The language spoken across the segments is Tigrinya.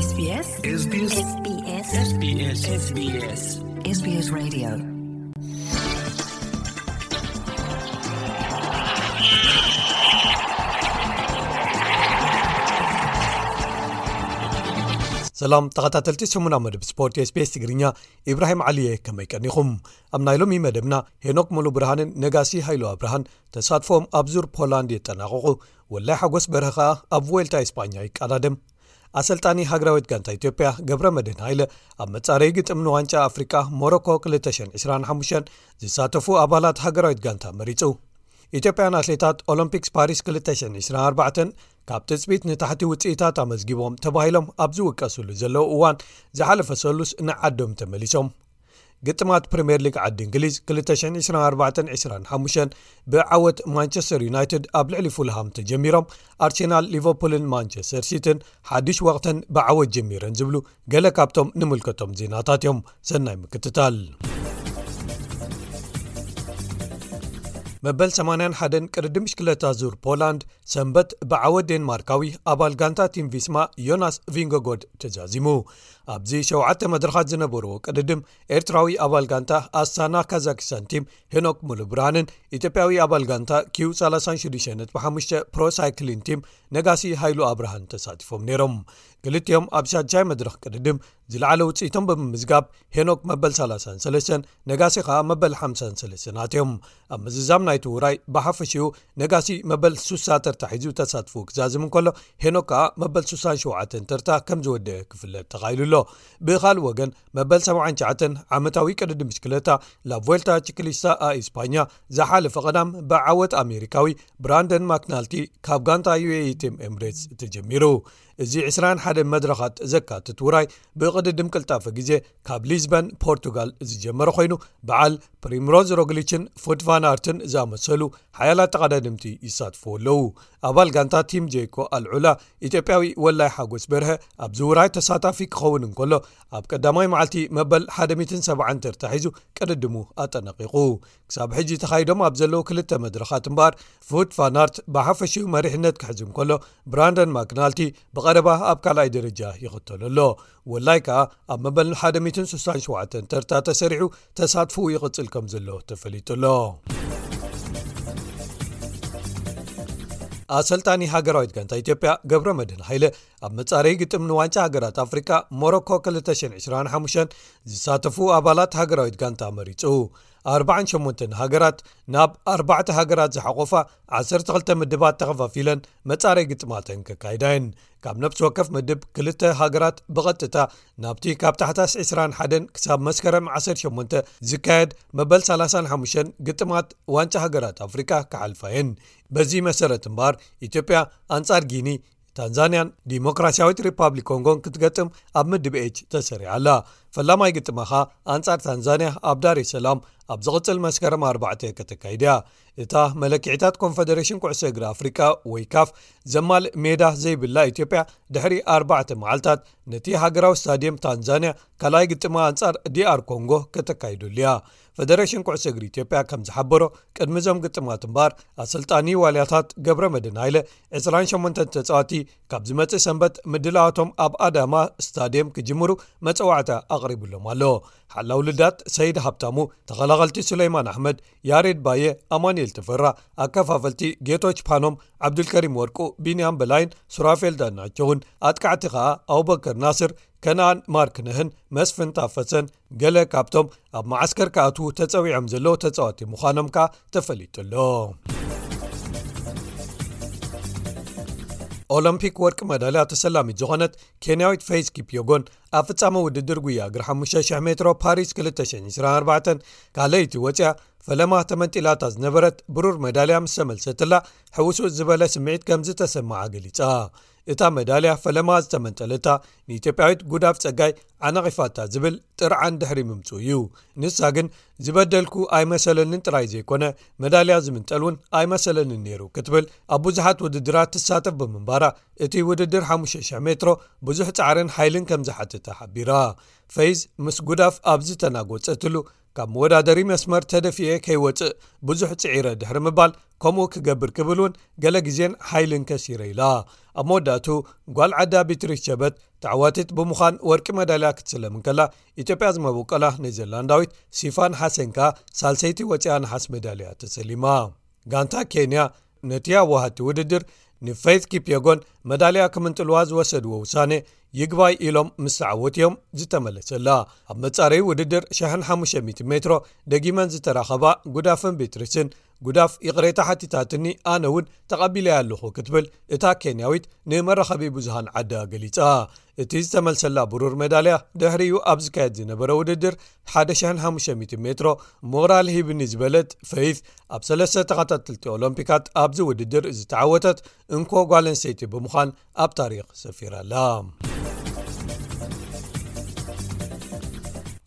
SBS SBS SBS SBS SBS Radio. ሰላም ተኸታተልቲ ሰሙና መደብ ስፖርት SBS ትግርኛ፣ ኢብራሂም ዓሊየ፣ ከመይ ቀኒኹም? ኣብ ናይ ሎሚ መደብና፣ ሄኖክ ሙሉ ብርሃንን ነጋሲ ሃይሉ ኣብርሃን ተሳትፎም ኣብ ዙር ፖላንድ የጠናቕቑ። ወላይ ሓጎስ በርሀ ኸኣ ኣብ ቮልታ ኢስፓኛ ይቀዳደም። ኣሰልጣኒ ሃገራዊት ጋንታ ኢትዮጵያ ገብረ መድህን ሃይለ፣ ኣብ መጻረዪ ግጥም ንዋንጫ ኣፍሪቃ ሞሮኮ ክልተ ሽሕን ዕስራን ሓሙሽተን ዝሳተፉ ኣባላት ሃገራዊት ጋንታ መሪጹ። ኢትዮጵያን ኣትሌታት ኦሎምፒክስ ፓሪስ ክልተ ሽሕን ዕስራን ኣርባዕተን ካብ ትጽቢት ንታሕቲ ውጽኢታት ኣመዝጊቦም ተባሂሎም ኣብ ዝውቀሱሉ ዘለዉ እዋን፣ ዝሓለፈ ሰሉስ ንዓዶም ተመሊሶም። ግጥማት ፕሪምየር ሊግ ዓዲ እንግሊዝ ክልተ ሽሕን ዕስራን ኣርባዕተን ዕስራን ሓሙሽተን ብዓወት ማንቸስተር ዩናይትድ ኣብ ልዕሊ ፉልሃም ተጀሚሮም፣ ኣርሴናል፣ ሊቨርፑልን ማንቸስተር ሲቲን ሓድሽ ወቕተን ብዓወት ጀሚረን ዝብሉ ገለ ካብቶም ንምልከቶም ዜናታት እዮም። ሰናይ ምክትታል። መበል ሰማንያን ሓደን ቅድድም ብሽክለታ ዙር ፖላንድ ሰንበት ብዓወት ዴንማርካዊ ኣባል ጋንታ ቲም ቪስማ ዮናስ ቪንጎጎድ ተዛዚሙ። ኣብዚ ሸውዓተ መድረኻት ዝነበርዎ ቅድድም፣ ኤርትራዊ ኣባል ጋንታ ኣስታና ካዛክስታን ቲም ሄኖክ ሙሉብርሃንን ኢትዮጵያዊ ኣባል ጋንታ ኪው ሰላሳ ሽዱሽተ ነጥቢ ሓሙሽተ ፕሮ ሳይክሊን ቲም ነጋሲ ሃይሉ ኣብርሃን ተሳቲፎም ነይሮም። ክልቲኦም ኣብ ሻድሻይ መድረኽ ቅድድም ዝለዓለ ውጽኢቶም ብምምዝጋብ፣ ሄኖክ መበል ሰላሳን ሰለስተን፣ ነጋሲ ኸኣ መበል ሓምሳን ሰለስተን ኣትዮም። ኣብ ምዝዛም ናይቲ ውራይ ብሓፈሽኡ ነጋሲ መበል ሱሳ ተርታ ሒዙ ተሳትፎ ክዛዝም እንከሎ፣ ሄኖክ ከኣ መበል ሱሳን ሸውዓተን ተርታ ከም ዝወደአ ክፍለጥ ተኻኢሉ ኣሎ። ብኻልእ ወገን፣ መበል ሰብዓን ትሽዓተን ዓመታዊ ቅድድም ብሽክለታ ላቮልታ ቺክሊስታ ኣ ኢስፓኛ ዝሓለፈ ቀዳም ብዓወት ኣሜሪካዊ ብራንደን ማክናልቲ ካብ ጋንታ ዩ ኤ ኢ ቲም ኤምሬትስ ተጀሚሩ። እዚ ዕስራን ሓደን መድረኻት ዘካትት ውራይ ብቕድድም ቅልጣፈ ግዜ ካብ ሊዝበን ፖርቱጋል ዝጀመረ ኮይኑ፣ በዓል ፕሪምሮዝ ሮግሊችን ፉት ቫን ኣርትን ዝኣመሰሉ ሓያላት ተቐዳደምቲ ይሳትፉ ኣለዉ። ኣባል ጋንታ ቲም ጄኮ ኣልዑላ ኢትዮጵያዊ ወላይ ሓጎስ በርሀ ኣብዚ ውራይ ተሳታፊ ክኸውን እንከሎ፣ ኣብ ቀዳማይ መዓልቲ መበል ሓደ ሚእትን ሰብዓን ተርታ ሒዙ ቅድድሙ ኣጠናቒቑ። ክሳብ ሕጂ ተኻይዶም ኣብ ዘለዉ ክልተ መድረኻት እምበኣር፣ ፉት ፋናርት ብሓፈሽኡ መሪሕነት ክሕዝ እንከሎ፣ ብራንደን ማክናልቲ ብቐረባ ኣብ ካልኣይ ደረጃ ይኽተሎ ኣሎ። ወላይ ከኣ ኣብ መበል ሓደ ሚእትን ሱሳን ሸውዓተን ተርታ ተሰሪዑ ተሳትፎኡ ይቕጽል ከም ዘሎ ተፈሊጡ ኣሎ። ኣሰልጣኒ ሃገራዊት ጋንታ ኢትዮጵያ ገብረ መድህን ሃይለ፣ ኣብ መጻረዪ ግጥም ንዋንጫ ሃገራት ኣፍሪቃ ሞሮኮ ክልተ ሽሕን ዕስራን ሓሙሽተን ዝሳተፉ ኣባላት ሃገራዊት ጋንታ መሪጹ። ኣርባዓን ሸሞንተን ሃገራት ናብ ኣርባዕተ ሃገራት ዝሓቆፋ ዓሰርተ ክልተ ምድባት ተኸፋፊለን መጻረይ ግጥማተን ከካይዳ እየን። ካብ ነፍሲ ወከፍ ምድብ ክልተ ሃገራት ብቐጥታ ናብቲ ካብ ታሕሳስ ዕስራን ሓደን ክሳብ መስከረም ዓሰርተ ሸሞንተ ዝካየድ መበል ሰላሳን ሓሙሽተን ግጥማት ዋንጫ ሃገራት ኣፍሪቃ ክሓልፋ እየን። በዚ መሰረት እምበኣር፣ ኢትዮጵያ ኣንጻር ጊኒ፣ ታንዛንያን ዲሞክራሲያዊት ሪፓብሊክ ኮንጎን ክትገጥም ኣብ ምድብ ኤች ተሰሪዓ ኣላ። ፈላማይ ግጥማ ኸኣ ኣንጻር ታንዛንያ ኣብ ዳሬ ሰላም ኣብ ዝቕጽል መስከረም ኣርባዕተ ከተካይድ እያ። እታ መለክዒታት ኮንፈደሬሽን ኩዕሶ እግሪ ኣፍሪቃ ወይ ካፍ ዘማልእ ሜዳ ዘይብላ ኢትዮጵያ፣ ድሕሪ ኣርባዕተ መዓልታት ነቲ ሃገራዊ ስታድየም ታንዛንያ ካልኣይ ግጥማ ኣንጻር ዲ ኣር ኮንጎ ከተካይደሉ እያ። ፈደሬሽን ኩዕሶ እግሪ ኢትዮጵያ ከም ዝሓበሮ፣ ቅድሚ እዞም ግጥማት እምበኣር፣ ኣሰልጣኒ ዋልያታት ገብረ መድህን ሃይለ፣ ዕስራን ሸሞንተን ተጻወቲ ካብ ዝመጽእ ሰንበት ምድላዋቶም ኣብ ኣዳማ ስታድየም ክጅምሩ መጸዋዕታ ኣቕሪቡሎም ኣሎ። ሓላው ልዳት ሰይድ ሃብታሙ፣ ተኸላኸልቲ ሱለይማን ኣሕመድ፣ ያሬድ ባየ፣ ኣማኑኤል ተፈራ፣ ኣከፋፈልቲ ጌቶች ፓኖም፣ ዓብዱልከሪም ወርቁ፣ ቢንያም በላይን ሱራፌል ዳኛቸውን፣ ኣጥቃዕቲ ኸኣ ኣቡበከር ናስር፣ ከነኣን ማርክነህን መስፍን ታፈሰን ገለ ካብቶም ኣብ መዓስከር ክኣትዉ ተጸዊዖም ዘለዉ ተጻወቲ ምዃኖም ከኣ ተፈሊጡ ኣሎ። ኦሎምፒክ ወርቂ መዳልያ ተሰላሚት ዝኾነት ኬንያዊት ፌዝ ኪፕዮጎን፣ ኣብ ፍጻመ ውድድር ጉያ እግሪ ሓሙሽተ ሽሕ ሜትሮ ፓሪስ ክልተ ሽሕን ዕስራን ኣርባዕተን ካልኣይቲ ወጺኣ፣ ፈለማ ተመንጢላታ ዝነበረት ብሩር መዳልያ ምስ ተመልሰትላ፣ ሕውስውስ ዝበለ ስምዒት ከም ዝተሰምዓ ገሊጻ። እታ መዳልያ ፈለማ ዝተመንጠለታ፣ ንኢትዮጵያዊት ጉዳፍ ጸጋይ ዓናቒፋታ ዝብል ጥርዓን ድሕሪ ምምጽኡ እዩ። ንሳ ግን፣ "ዝበደልኩ ኣይመሰለንን ጥራይ ዘይኮነ፣ መዳልያ ዝምንጠል እውን ኣይመሰለንን ነይሩ" ክትብል ኣብ ብዙሓት ውድድራት ትሳተፍ ብምንባራ፣ እቲ ውድድር ሓሙሽተ ሽሕ ሜትሮ ብዙሕ ጻዕርን ሓይልን ከም ዝሓትታ ሓቢራ። ፌዝ ምስ ጉዳፍ ኣብ ዝተናጎጸትሉ፣ "ካብ መወዳደሪ መስመር ተደፊኤ ከይወጽእ ብዙሕ ጽዒረ" ድሕሪ ምባል፣ "ከምኡ ክገብር ክብል እውን ገለ ግዜን ሓይልን ከሲረ" ኢላ። ኣብ መወዳእቱ ጓል ዓዳ ቢትሪስ ቸበት ተዓዋቲት ብምዃን ወርቂ መዳልያ ክትስለም እንከላ፣ ኢትዮጵያ ዝመበቆላ ኔዘርላንዳዊት ሲፋን ሓሰን ከኣ ሳልሰይቲ ወፂኣ ነሓስ መዳልያ ተሰሊማ። ጋንታ ኬንያ ነቲ ኣዋሃድቲ ውድድር ንፌይት ኪፕየጎን መዳልያ ክምንጥልዋ ዝወሰድዎ ውሳኔ ይግባይ ኢሎም ምስ ተዓወቱ እዮም ዝተመለሰላ። ኣብ መጻረይ ውድድር ሽሕን ሓሙሽተ ሚእቲ ሜትሮ ደጊመን ዝተራኸባ ጉዳፍን ቤትሪስን፣ ጉዳፍ ይቕሬታ ሓቲታትኒ፣ ኣነ እውን ተቐቢለያ ኣለኹ ክትብል እታ ኬንያዊት ንመራኸቢ ብዙሃን ዓዳ ገሊጻ። እቲ ዝተመልሰላ ብሩር መዳልያ ድሕሪኡ ኣብ ዝካየድ ዝነበረ ውድድር ሓደ ሽሕን ሓሙሽተ ሚእቲ ሜትሮ ሞራል ሂብኒ ዝበለት ፈይዝ፣ ኣብ ሰለስተ ተኸታተልቲ ኦሎምፒካት ኣብዚ ውድድር ዝተዓወተት እንኮ ጓል ኣንስተይቲ ብምዃን ኣብ ታሪኽ ሰፊራ ኣላ።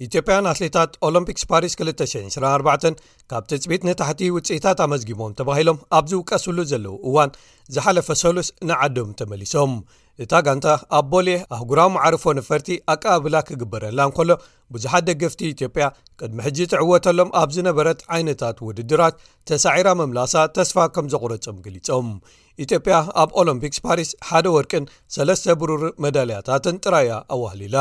ኢትዮጵያን ኣትሌታት ኦሎምፒክስ ፓሪስ ክልተ ሽሕን ዕስራን ኣርባዕተን ካብ ትጽቢት ንታሕቲ ውጽኢታት ኣመዝጊቦም ተባሂሎም ኣብ ዝውቀስሉ ዘለዉ እዋን፣ ዝሓለፈ ሰሉስ ንዓዶም ተመሊሶም። እታ ጋንታ ኣብ ቦሌ ኣህጉራዊ መዓርፎ ነፈርቲ ኣቀባብላ ክግበረላ እንከሎ፣ ብዙሓት ደገፍቲ ኢትዮጵያ ቅድሚ ሕጂ ትዕወተሎም ኣብ ዝነበረት ዓይነታት ውድድራት ተሳዒራ ምምላሳ ተስፋ ከም ዘቑረጾም ገሊጾም። ኢትዮጵያ ኣብ ኦሎምፒክስ ፓሪስ ሓደ ወርቅን ሰለስተ ብሩር መዳልያታትን ጥራይ እያ ኣዋህሊላ።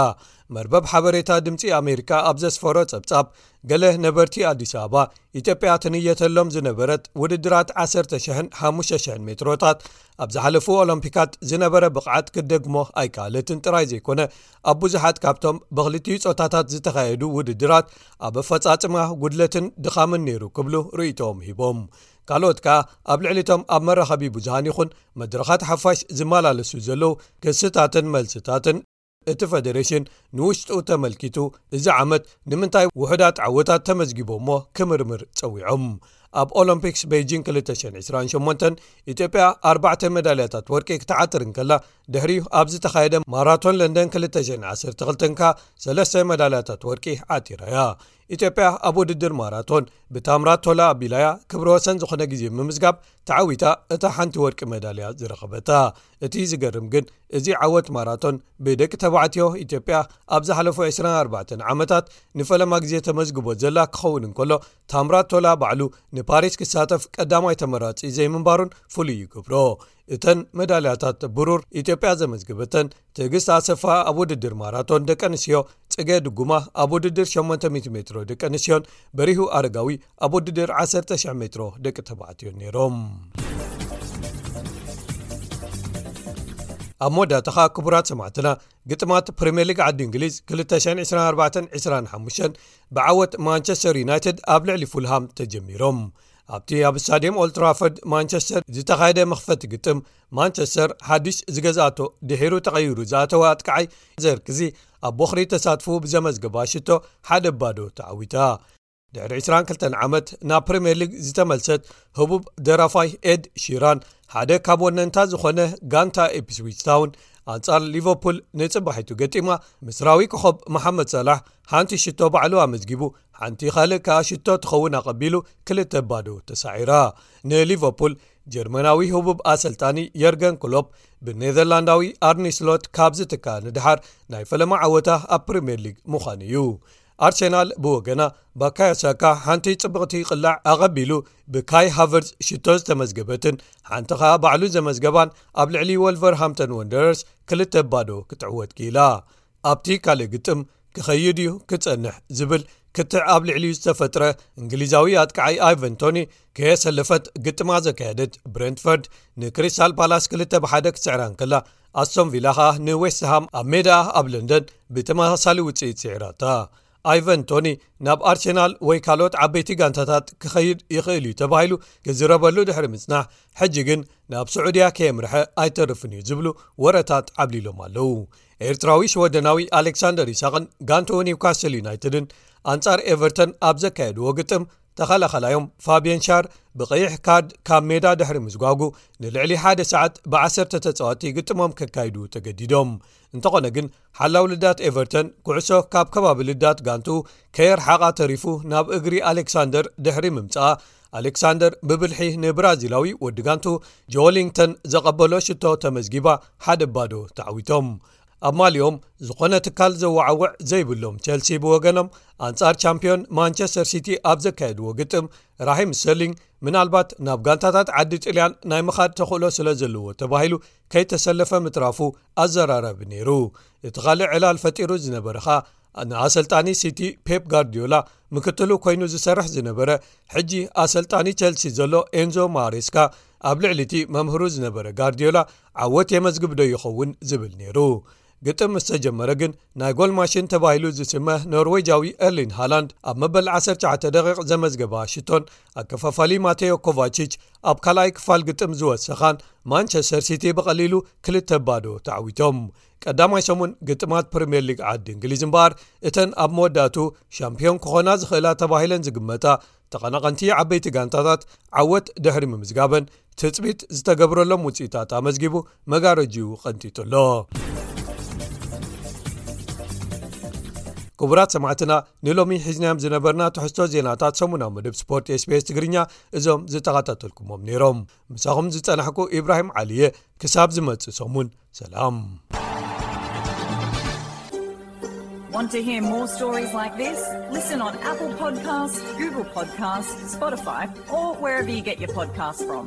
መርበብ ሓበሬታ ድምጺ ኣሜሪካ ኣብ ዘስፈሮ ጸብጻብ፣ ገለ ነበርቲ ኣዲስ ኣበባ፣ ኢትዮጵያ ትንየተሎም ዝነበረት ውድድራት ዓሰርተ ሽሕን ሓሙሽተ ሽሕን ሜትሮታት ኣብ ዝሓለፉ ኦሎምፒካት ዝነበረ ብቕዓት ክትደግሞ ኣይከኣለትን ጥራይ ዘይኮነ፣ ኣብ ብዙሓት ካብቶም ብኽልቲኡ ጾታታት ዝተኻየዱ ውድድራት ኣብ ኣፈጻጽማ ጉድለትን ድኻምን ነይሩ ክብሉ ርእይቶኦም ሂቦም። ካልኦት ከኣ ኣብ ልዕሊቶም ኣብ መራኸቢ ብዙሃን ይኹን መድረኻት ሓፋሽ ዝመላለሱ ዘለዉ ክስታትን መልስታትን እቲ ፈደሬሽን ንውሽጡ ተመልኪቱ፣ እዚ ዓመት ንምንታይ ውሑዳት ዓወታት ተመዝጊቦ እሞ ክምርምር ጸዊዖም። ኣብ ኦሎምፒክስ ቤጂን ክልተ ሽሕን ዕስራን ሸሞንተን ኢትዮጵያ ኣርባዕተ መዳልያታት ወርቂ ክትዓትር እንከላ፣ ድሕሪኡ ኣብ ዝተኻየደ ማራቶን ለንደን ክልተ ሽሕን ዓሰርተ ክልተን ከኣ ሰለስተ መዳልያታት ወርቂ ዓቲራ እያ። ኢትዮጵያ ኣብ ውድድር ማራቶን ብታምራት ቶላ ኣቢላያ ክብረ ወሰን ዝኾነ ግዜ ምምዝጋብ ተዓዊታ እታ ሓንቲ ወርቂ መዳልያ ዝረኸበታ። እቲ ዝገርም ግን፣ እዚ ዓወት ማራቶን ብደቂ ተባዕትዮ ኢትዮጵያ ኣብ ዝሓለፉ ዕስራን ኣርባዕተን ዓመታት ንፈለማ ግዜ ተመዝግቦ ዘላ ክኸውን እንከሎ፣ ታምራት ቶላ ባዕሉ ንፓሪስ ክሳተፍ ቀዳማይ ተመራጺ ዘይምንባሩን ፍሉይ ይገብሮ። እተን መዳልያታት ብሩር ኢትዮጵያ ዘመዝገበተን ትዕግስት ኣሰፋ ኣብ ውድድር ማራቶን ደቂ ኣንስትዮ፣ ጽገ ድጉማ ኣብ ውድድር ሸሞንተ ሚእቲ ሜትሮ ደቂ ኣንስትዮን በሪሁ ኣረጋዊ ኣብ ውድድር ዓሰርተ ሽሕ ሜትሮ ደቂ ተባዕትዮ ነይሮም። ኣብ መወዳእታ ኸኣ ክቡራት ሰማዕትና፣ ግጥማት ፕሪምየር ሊግ ዓዲ እንግሊዝ ክልተ ሽሕን ዕስራን ኣርባዕተን ዕስራን ሓሙሽተን ብዓወት ማንቸስተር ዩናይትድ ኣብ ልዕሊ ፉልሃም ተጀሚሮም። ኣብቲ ኣብ ስታድየም ኦልትራፎርድ ማንቸስተር ዝተኻየደ መኽፈቲ ግጥም፣ ማንቸስተር ሓድሽ ዝገዝኣቶ ድሒሩ ተቐይሩ ዝኣተወ ኣጥቃዓይ ዘርክዚ ኣብ ቦኽሪ ተሳትፎ ብዘመዝገባ ሽቶ ሓደ ባዶ ተዓዊታ። ድሕሪ ዕስራን ክልተን ዓመት ናብ ፕሪምየር ሊግ ዝተመልሰት ህቡብ ደራፋይ ኤድ ሺራን ሓደ ካብ ወነንታ ዝኾነ ጋንታ ኢፕስዊች ታውን ኣንጻር ሊቨርፑል ንጽባሒቱ ገጢማ፣ ምስራዊ ኮኸብ መሓመድ ሳላሕ ሓንቲ ሽቶ ባዕሉ ኣመዝጊቡ፣ ሓንቲ ካልእ ከኣ ሽቶ ትኸውን ኣቐቢሉ ክልተ ባዶ ተሳዒራ። ንሊቨርፑል ጀርመናዊ ህቡብ ኣሰልጣኒ የርገን ክሎፕ ብኔዘርላንዳዊ ኣርኒ ስሎት ካብ ዝትካ ንድሓር ናይ ፈለማ ዓወታ ኣብ ፕሪምየር ሊግ ምዃኑ እዩ። ኣርሴናል ብወገና ባካዮ ሳካ ሓንቲ ጽብቕቲ ቅላዕ ኣቐቢሉ ብካይ ሃቨርዝ ሽቶ ዝተመዝገበትን ሓንቲ ኸኣ ባዕሉ ዘመዝገባን ኣብ ልዕሊ ወልቨርሃምተን ወንደረርስ ክልተ ባዶ ክትዕወት ክኢላ። ኣብቲ ካልእ ግጥም ክኸይድ እዩ ክጸንሕ ዝብል ክትዕ ኣብ ልዕሊኡ ዝተፈጥረ እንግሊዛዊ ኣጥቃዓይ ኣይቨን ቶኒ ከየሰለፈት ግጥማ ዘካየደት ብሬንትፈርድ ንክሪስታል ፓላስ ክልተ ብሓደ ክትስዕራ እንከላ ኣስቶን ቪላ ኸኣ ንዌስትሃም ኣብ ሜዳ ኣብ ለንደን ብተመሳሳሊ ውጽኢት ስዒራታ። ኣይቨን ቶኒ ናብ ኣርሴናል ወይ ካልኦት ዓበይቲ ጋንታታት ክኸይድ ይኽእል እዩ ተባሂሉ ክዝረበሉ ድሕሪ ምጽናሕ፣ ሕጂ ግን ናብ ስዑድያ ከየምርሐ ኣይተርፍን እዩ ዝብሉ ወረታት ዓብሊሎም ኣለዉ። ኤርትራዊ ሽወደናዊ ኣሌክሳንደር ይስሐቕን ጋንትኡ ኒውካስል ዩናይትድን ኣንጻር ኤቨርተን ኣብ ዘካየድዎ ግጥም፣ ተኸላኸላዮም ፋብየን ሻር ብቐይሕ ካርድ ካብ ሜዳ ድሕሪ ምዝጓጉ፣ ንልዕሊ ሓደ ሰዓት ብዓሰርተ ተጻወቲ ግጥሞም ከካይዱ ተገዲዶም። እንተኾነ ግን፣ ሓላው ልዳት ኤቨርተን ኩዕሶ ካብ ከባቢ ልዳት ጋንትኡ ከየርሓቓ ተሪፉ ናብ እግሪ ኣሌክሳንደር ድሕሪ ምምጻኣ፣ ኣሌክሳንደር ብብልሒ ንብራዚላዊ ወዲ ጋንትኡ ጆሊንግተን ዘቐበሎ ሽቶ ተመዝጊባ ሓደ ባዶ ተዓዊቶም። ኣብ ማሊኦም ዝኾነ ትካል ዘወዓውዕ ዘይብሎም ቸልሲ ብወገኖም፣ ኣንጻር ቻምፒዮን ማንቸስተር ሲቲ ኣብ ዘካየድዎ ግጥም፣ ራሂም ስተርሊንግ ምናልባት ናብ ጋንታታት ዓዲ ጥልያን ናይ ምኻድ ተኽእሎ ስለ ዘለዎ ተባሂሉ ከይተሰለፈ ምትራፉ ኣዘራራቢ ነይሩ። እቲ ካልእ ዕላል ፈጢሩ ዝነበረ ኸኣ፣ ንኣሰልጣኒ ሲቲ ፔፕ ጋርዲዮላ ምክትሉ ኮይኑ ዝሰርሕ ዝነበረ፣ ሕጂ ኣሰልጣኒ ቸልሲ ዘሎ ኤንዞ ማሬስካ ኣብ ልዕሊ እቲ መምህሩ ዝነበረ ጋርዲዮላ ዓወት የመዝግብ ዶ ይኸውን ዝብል ነይሩ። ግጥም ምስ ተጀመረ ግን፣ ናይ ጎል ማሽን ተባሂሉ ዝስመ ኖርዌጃዊ ኤርሊን ሃላንድ ኣብ መበል ዓሰርተ ትሽዓተ ደቂቕ ዘመዝገባ ሽቶን ኣከፋፋሊ ማቴዮ ኮቫቺች ኣብ ካልኣይ ክፋል ግጥም ዝወሰኻን፣ ማንቸስተር ሲቲ ብቐሊሉ ክልተ ባዶ ተዓዊቶም። ቀዳማይ ሰሙን ግጥማት ፕሪምየር ሊግ ዓዲ እንግሊዝ እምበኣር፣ እተን ኣብ መወዳእቱ ሻምፒዮን ክኾና ዝኽእላ ተባሂለን ዝግመታ ተቐናቐንቲ ዓበይቲ ጋንታታት ዓወት ድሕሪ ምምዝጋበን፣ ትጽቢት ዝተገብረሎም ውጽኢታት ኣመዝጊቡ መጋረጂኡ ቀንጢጡ ኣሎ። ክቡራት ሰማዕትና፣ ንሎሚ ሒዝናዮም ዝነበርና ትሕዝቶ ዜናታት ሰሙናዊ መደብ ስፖርት ኤስቢኤስ ትግርኛ እዞም ዝተኸታተልኩሞም ነይሮም። ምሳኹም ዝጸናሕኩ ኢብራሂም ዓሊየ። ክሳብ ዝመጽእ ሰሙን ሰላም። Want to hear more stories like this? Listen on Apple Podcasts, Google Podcasts, Spotify, or wherever you get your podcasts from.